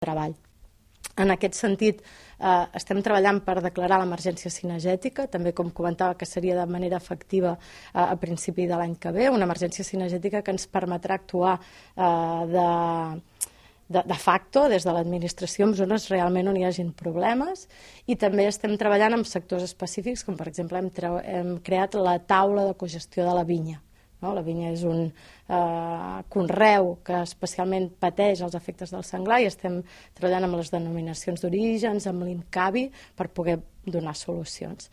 treball. En aquest sentit, estem treballant per declarar l'emergència cinegètica, també com comentava que seria de manera efectiva a principi de l'any que ve, una emergència cinegètica que ens permetrà actuar de facto des de l'administració en zones realment on hi hagin problemes, i també estem treballant en sectors específics, com per exemple hem creat la taula de cogestió de la vinya. La vinya és un conreu que especialment pateix els efectes del senglar i estem treballant amb les denominacions d'orígens, amb l'INCAVI, per poder donar solucions.